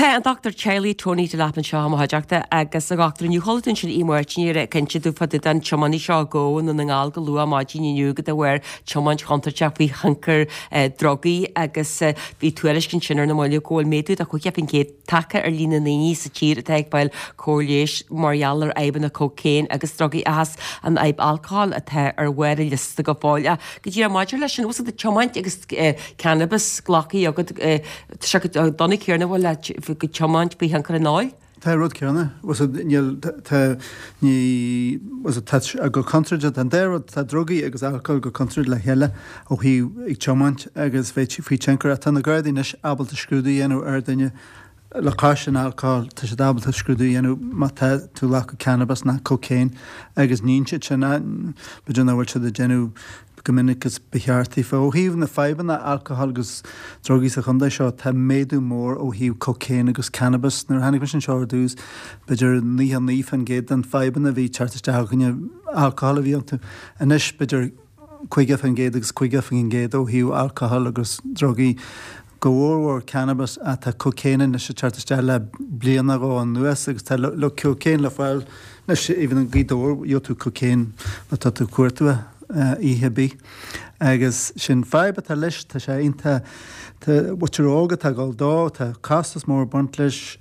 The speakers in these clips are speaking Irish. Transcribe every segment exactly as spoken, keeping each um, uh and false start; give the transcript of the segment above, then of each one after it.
Tá an dochtúir teaghlaigh Tony Delap anseo i mo chuideachta agus a dhochtúir inniu chuala tú ansin Aodh Máirtín ag caint dúinn fá dtaobh den tiománaí seo a gabhadh i nDún na nGall go luath maidin inniu de bharr tiomáint chontúirteach faoi thionchar drugaí agus bhí tuairisc ansin ar na mallaibh go bhfuil méadú de chaoga faoin gcéad tagtha ar líon na ndaoine sa tír atá ag fáil cóir leighis mar gheall ar fhadhbanna cocaine agus drugaí seachas an fhadhb alcohol atá ar bharr an liosta go fóill. Go díreach maidir leis sin, bhfuil a tiomáint agus cannabis glactha agat tá sé chomh dona céanna bhfuil le go tiomáint faoi thionchar an óil? Tá rud céanna, níl tá ní tá go contúirteach an dá rud tá drugaí agus alcohol go contúirteach le chéile ó thaobh ag tiomáint agus bheith faoi tionchar tá na Gardaí anois ábalta scrúdú a dhéanamh ar duine le cois an alcohol tá siad ábalta scrúdú a dhéanamh má tá tú ag glacadh cannabis nó cocaine agus níonn siad sin b'fhéidir nach bhfuil siad ag déanamh go minic is ba cheart daofa. Ó thaobh na fadhbanna alcohol agus drugaí sa chontae seo tá méadú mór ó thaobh cocaine agus cannabis. Nuair a tháinig mise anseo ar dtús b'fhéidir naocha naoi faoin gcéad den fadhbanna a bhí teacht isteach againne alcohol a bhí iontu. Anois b'fhéidir caoga faoin gcéad agus caoga faoin gcéad ó thaobh alcohol agus drugaí. Go mhórmhór cannabis ach tá cocaine anois ag teacht isteach le bliain nó dhó anuas agus tá le cocaine le fáil anois even i nGaoth Dobhair gheobhaidh tú cocaine má tá tú ag cuartú é oíche ar bith. Agus sin fadhb atá leis, tá sé iontach, tá muintir óg atá ag dul dó, tá costas mór ag baint leis,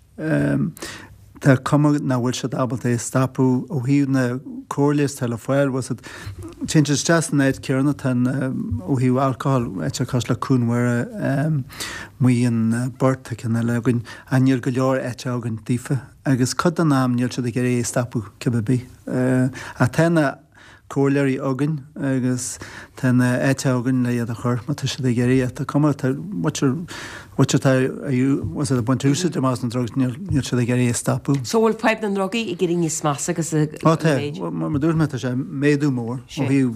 tá cuma nach bhfuil siad ábalta é a stopadh ó thaobh na comhairle is atá le fáil, bhfuil siad, téann siad isteach san áit céanna tá ó thaobh alcohol, áit cosúil le Cuan Mhuire, Maigh an Bhurt, tá ceann eile againn, ach níl go leor áite againn daofa agus cuid den am níl siad ag iarraidh é a stopadh cibé bith. Ach tá na comhairleoirí againn agus tá na áite againn le iad a chur má tá siad ag iarraidh. Tá cuma tá muintir muintir atá ag baint úsáid amach as na drugs níl níl siad ag iarraidh é a stopadh. So bhfuil fadhb na ndrugaí ag éirí níos measa agus a Ó tá, mar a dúirt mé tá sé méadú mór ó thaobh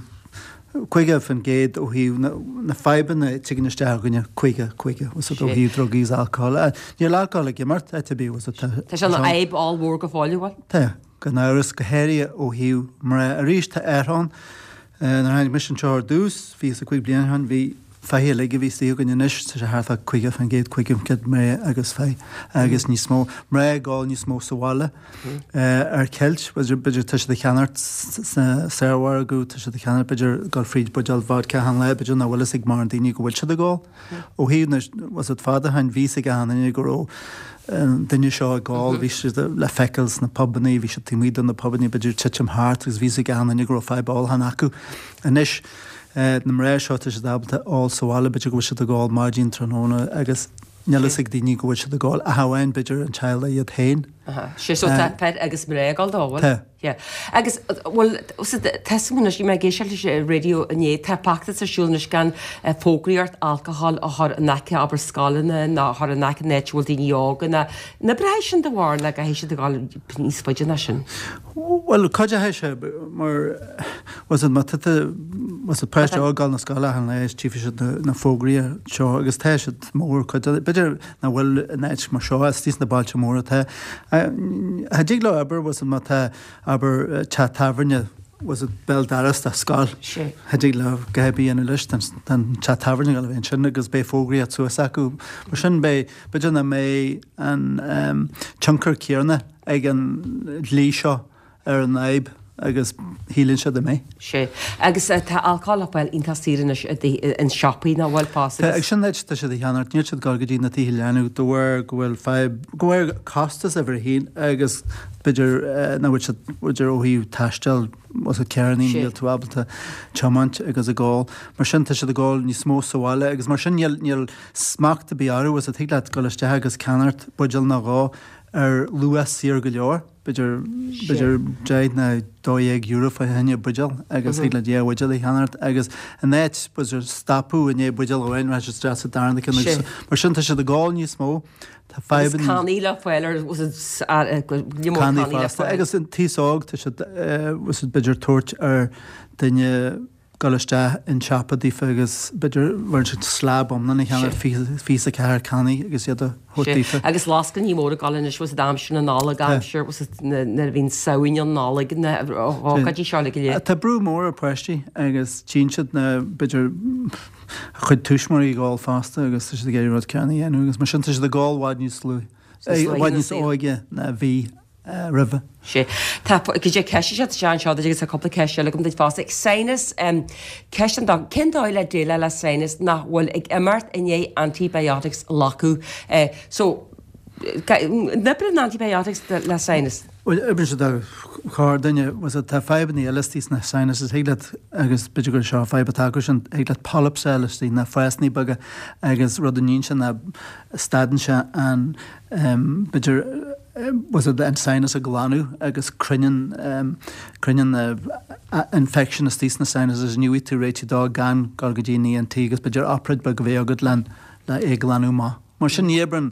caoga faoin gcéad ó thaobh na na fadhbanna a tigeann isteach againne caoga caoga ó thaobh drugaí is alcohol. Níl alcohol ag imeacht áit ar bith tá Tá sé ina fhadhb ollmhór go fóill, bhfuil? Tá. Gan amhras, go háirithe ó thaobh mná. Arís, tá athrú ann. Nuair a tháinig mise anseo ar dtús, fiche is a cúig bliain ó shin, bhí fathaigh uilig a bhí istigh againn. Anois, tá sé thart fá caoga faoin gcéad, caoga faoin gcéad mná agus fathaigh agus níos mó mná ag ól níos mó sa bhaile ar ceilt. B'fhéidir, b'fhéidir tá siad ag ceannacht sna saormhargadh, tá siad ag ceannacht, b'fhéidir, dul fríd buidéal vodka achan lá, b'fhéidir nach bhfuil fhios ag mórán daoine go bhfuil siad ag ól. Ó thaobh na, was it fada ó shin, bhí fhios ag achan duine go raibh an duine seo ag ól, bhí siad le feiceáil sna pubannaí, bhí siad taobh amuigh de na pubannaí, b'fhéidir titim thart agus bhí fhios ag achan duine go raibh fadhb ólacháin acu. Anois, na mná seo, tá siad ábalta ól sa bhaile, b'fhéidir go bhfuil siad ag ól maidin, tráthnóna agus níl fhios ag daoine go bhfuil siad ag ól, ach amháin b'fhéidir an teaghlach iad féin. Sé so tá fir agus mná ag ól dó, bhfuil? Tá. Yeah. Agus, bhuel, tá súil anois, bhí mé ag éisteacht leis an raidió inné, tá feachtas ar siúl anois gan fógraíocht alcohol a chur in aice, abair, scoileanna ná a chur in aice an áit a bhfuil daoine óga ná, an oibreoidh sin do bharúil nó caithfidh siad a dhul níos faide ná sin? Bhuel, cuideoidh sé mar, was it, má tá tú, was it, páiste óg ag dul na scoile achan lá is tchífidh siad na fógraí seo agus tá siad mór, cuid, b'fhéidir nach bhfuil in áit mar seo, istigh sna bailte móra tá. Cha dtig leo obair, was it, má tá, abair, teach tábhairne, was it, béal doras de scoil, cha dtig leo a dhath ar bith a dhéanamh leis, tá an teach tábhairne ag dul a bheith ansin agus beidh fógraíocht suas acu. Mar sin beidh, b'fhéidir nach mbeidh an tionchar céanna ag an dlí seo ar an fhadhb agus shíleann siad a mbeidh. Sea. Agus tá alcól le fáil iontach saor anois i in siopaí nach bhfuil fosta Tá, agus. Sin áit tá siad a cheannacht, níl siad ag dul go dtí na tithe leanbh de bharr go bhfuil fadhb, go bhfuil costas uimhir a haon agus b'fhéidir nach bhfuil siad, b'fhéidir ó thaobh taisteal, was it carrannaí, níl tú ábalta tiomáint agus ag ól. Mar sin tá siad ag ól níos mó sa bhaile agus mar sin níl, níl smacht ar bith orthu, was it, thig leat dul isteach agus ceannacht buidéal nó dhó ar luach saor go leor. b'fhéidir, b'fhéidir deich nó dó dhéag euro fá choinne buidéal agus thig leat dhá bhuidéal a cheannacht agus in áit, b'fhéidir, stopadh i ndiaidh buidéal amháin, rachaidh siad isteach sa darna ceann agus mar sin tá siad ag ól níos mó, tá fadhbanna. Agus cannaí le fáil ar, go leor cannaí le fáil. Agus an t-aos óg, tá siad, b'fhéidir, tabhairt ar duine dul isteach in siopa daofa agus b'fhéidir bhain siad slab iomlán a cheannacht, fiche is a ceathair cannaí agus iad a thabhairt daofa. Agus lascainí móra ag dul anois, was it aimsir na Nollag, aimsir, was it nuair a bhíonn Samhain ann, Nollaig, na hócáidí seo uilig go léir. Tá brú mór ar pháistí agus tchíonn siad na, b'fhéidir, a chuid tuismitheoirí ag ól fosta agus tá siad ag iarraidh rud céanna a dhéanamh agus mar sin tá siad ag ól i bhfad níos luaithe. I bhfad níos óige ná a bhí roimhe. Sea. Tá go dtí ceist seo anseo agus tá cúpla ceist eile agam duit fosta. Sinus, ceist an doc, cén dóigh le déileáil le sinus nach bhfuil ag imeacht i ndiaidh antibiotics a ghlacadh? So, an oibreann antibiotics le sinus? Bhuel, oibreann siad do chorrdhuine. Tá fadhbanna eile istigh sna sinuses, thig leat, agus b'fhéidir gur seo fadhb atá acu sin, thig leat polyps a fháil istigh, na fásanna beaga, agus rud a níonn sé ná stadann sé an, b'fhéidir, an sinus a ghlanadh agus cruinníonn, cruinníonn na infection istigh sna sinuses, ní bhfaighidh tú réitigh dó gan dul go dtí an ENT agus b'fhéidir obráid beag a bheith agat len, le é a ghlanadh amach. Mar sin ní oibreann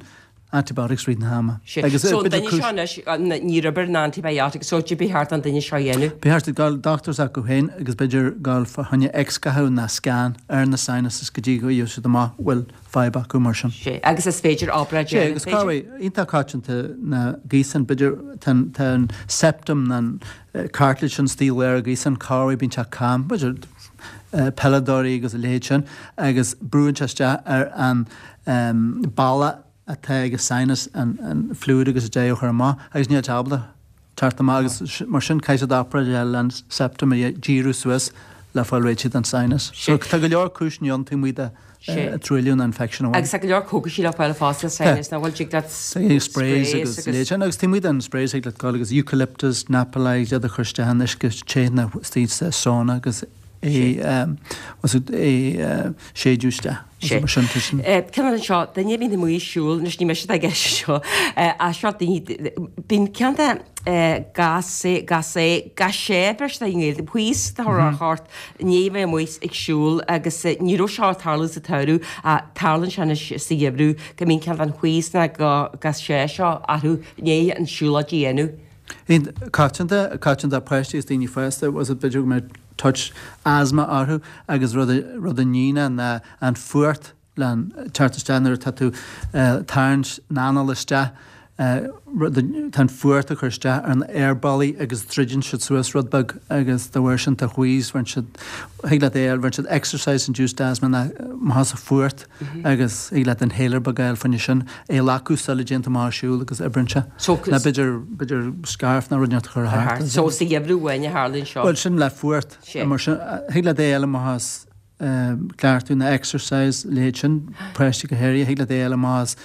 antibiotics rith na hama. Sea. Agus So an duine seo anois, níor oibir na antibiotics, so cad ba cheart don duine seo a dhéanamh? Ba cheart dul dochtúir s'acu féin agus b'fhéidir dul fá choinne x-ghathadh ná scan ar na sinuses go dtí go bhfaighidh siad amach bhfuil fadhb acu mar sin. Sea. Agus is féidir obráid a Sea, dhéanamh, agus is féidir? corruair, iontach coitianta na gaothsáin, b'fhéidir tá an, tá an septum ná an cartilage sin istigh i lár an ghaotháin, corruair bíonn sé cam, b'fhéidir peileadóirí agus a leithéid sin, agus brúann sé isteach ar an balla atá ag an sinus an fluid agus a deich a chur amach agus níl sé ábalta teacht amach agus mar sin caithfidh siad obráid a dhéanamh le an septum a dhíriú suas le fáil réitithe den sinus. So tá go leor cúiseanna ann taobh amuigh de truailliú nó infection amháin. Agus tá go leor cógaisí le fáil fosta le sinus nach bhfuil tig leat sprays agus leithéid sin agus taobh amuigh den sprays thig leat dul agus eucalyptus, Napalai iad a chur isteach in uisce te nó istigh sa sauna agus é é séideadh isteach. Sé. Mar sin, tá sin. Ceann eile anseo, duine a bhíonn amuigh ag siúl, anois ní mise atá i gceist anseo, ach seo daoine, bíonn ceann de gas, gas, gas sé, beirt i nGaeilge, wheeze a chur ort i ndiaidh a bheith amuigh ag siúl agus ní raibh seo ag tarlú sa tsamhradh ach tarlaíonn sé anois sa gheimhreadh go mbíonn ceann den wheeze nó gas sé seo orthu i ndiaidh an siúlóid a dhéanamh. Coitianta, coitianta páistí is daoine fásta, was it b'fhéidir go mbeadh touch asthma orthu agus rud a, rud a níonn ná an fuacht le teacht isteach nuair atá tú tarraingt an anáil isteach, rud a, tá an fuacht ag cur isteach ar na aerbealaí agus druideann siad suas rud beag agus dá bharr sin tá wheeze, bheireann siad, thig leat é a fháil, bheireann siad exercise induced asthma ná má sa fuacht agus thig leat inhaler beag a fháil fá choinne sin, é a ghlacadh sula dtéann tú amach ag siúl agus oibríonn sé. So, Nó b'fhéidir, b'fhéidir scarf nó rud inteacht a chur thart. So sa gheimhreadh amháin a tharlaíonn seo? Bhuel, sin le fuacht. Sea. Mar sin, thig leat é a fháil amach as cleachtadh nó exercise, leithéid sin, páistí go háirithe, thig leat é a fháil amach as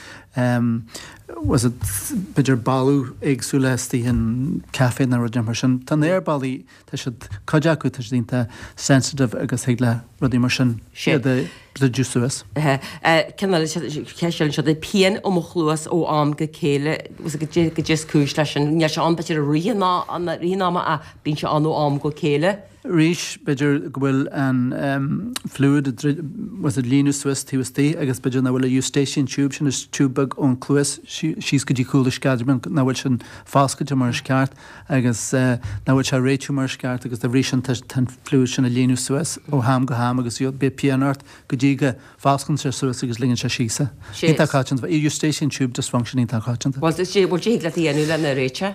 was it b'fhéidir boladh éagsúla istigh in caife nó rud mar sin. Tá na aerbealaí, tá siad, cuid acu, tá siad iontach sensitive agus thig le rudaí mar sin iad a dhruideadh suas. Ceann eile, ceist eile anseo, pian i mo chluas ó am go chéile, goidé is cúis leis sin, níl sé ann b'fhéidir i rith an ama ach bíonn sé ann ó am go chéile. Arís, b'fhéidir go bhfuil an fluid was it líonadh suas taobh istigh agus b'fhéidir nach bhfuil an eustachian tube sin, is tube beag ón cluas síos go dtí cúl an sceadamán, nach bhfuil sin foscailte mar is ceart agus nach bhfuil sé ag réitiú mar is ceart agus dá bhrí sin tá an fluid sin ag líonadh suas ó ham go ham agus beidh pian ort go dtí go bhfosclaíonn sé suas agus ligeann sé síos é. Iontach coitianta. Eustachian tube dysfunction iontach coitianta. Bhuel, bhuel, thig leat a dhéanamh lena réiteach?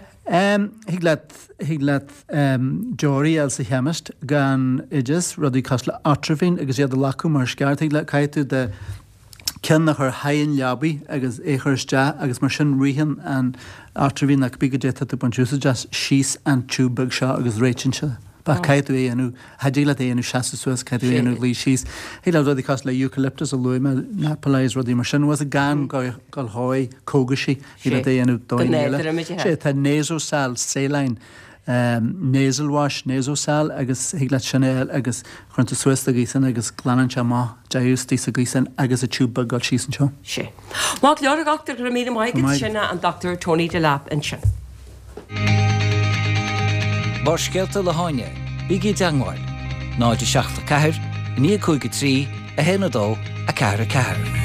Thig leat, thig leat deoraí a fháil sa chemist gan oideas, rudaí cosúil le Otrivine agus iad a ghlacadh mar is ceart. Thig leat, caithfidh tú do cheann a chur thar an leabaidh agus é a chur isteach agus mar sin ritheann an Otrivine nó cibé goidé atá tú ag baint úsáid as síos an tube beag seo agus réitíonn sé. Ach caithfidh tú é a dhéanamh, cha dtig leat é a dhéanamh seasamh suas, caithfidh tú é a dhéanamh luí síos. Thig leat rudaí cosúil le eucalyptus a luaigh mé, Napalais, rudaí mar sin, was gan gul chuig cógaisí, thig leat é a dhéanamh dóigheanna eile. Sé, tá Nasosal, saline, nasal wash, Nasosal agus thig leat sin a fháil agus cuireann tú suas do ghaothán agus glanann sé amach deigheadh istigh sa ghaothán agus an tube beag gul síos anseo. Sé. Maith go leor, a dhochtúir, go raibh míle maith agat, sin an Dr Tony Delap ansin. Barrscéalta le hÁine, bígí i dteangmháil, náid a seacht a ceathair, a naoi a cúig a trí, a haon a dó, a ceathair a ceathair.